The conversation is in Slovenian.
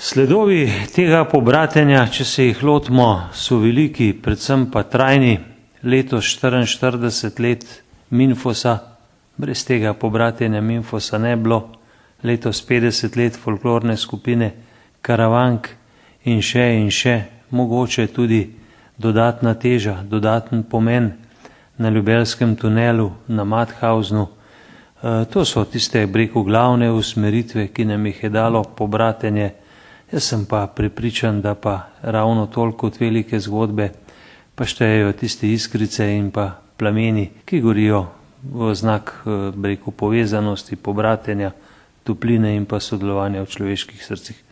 Sledovi tega pobratenja, če se jih lotimo, so veliki, predvsem pa trajni. Letos 44 let Minfosa, brez tega pobratenja Minfosa ne bilo. Letos 50 let folklorne skupine Karavank in še, mogoče tudi dodatna teža, dodaten pomen na Ljubelskem tunelu, na Mathausnu. To so tiste, glavne usmeritve, ki nam jih je dalo pobratenje. Jaz sem pa prepričan, da pa ravno toliko kot velike zgodbe pa štejejo tiste iskrice in pa plameni, ki gorijo v znak, povezanosti, pobratenja, topline in pa sodelovanja v človeških srcih.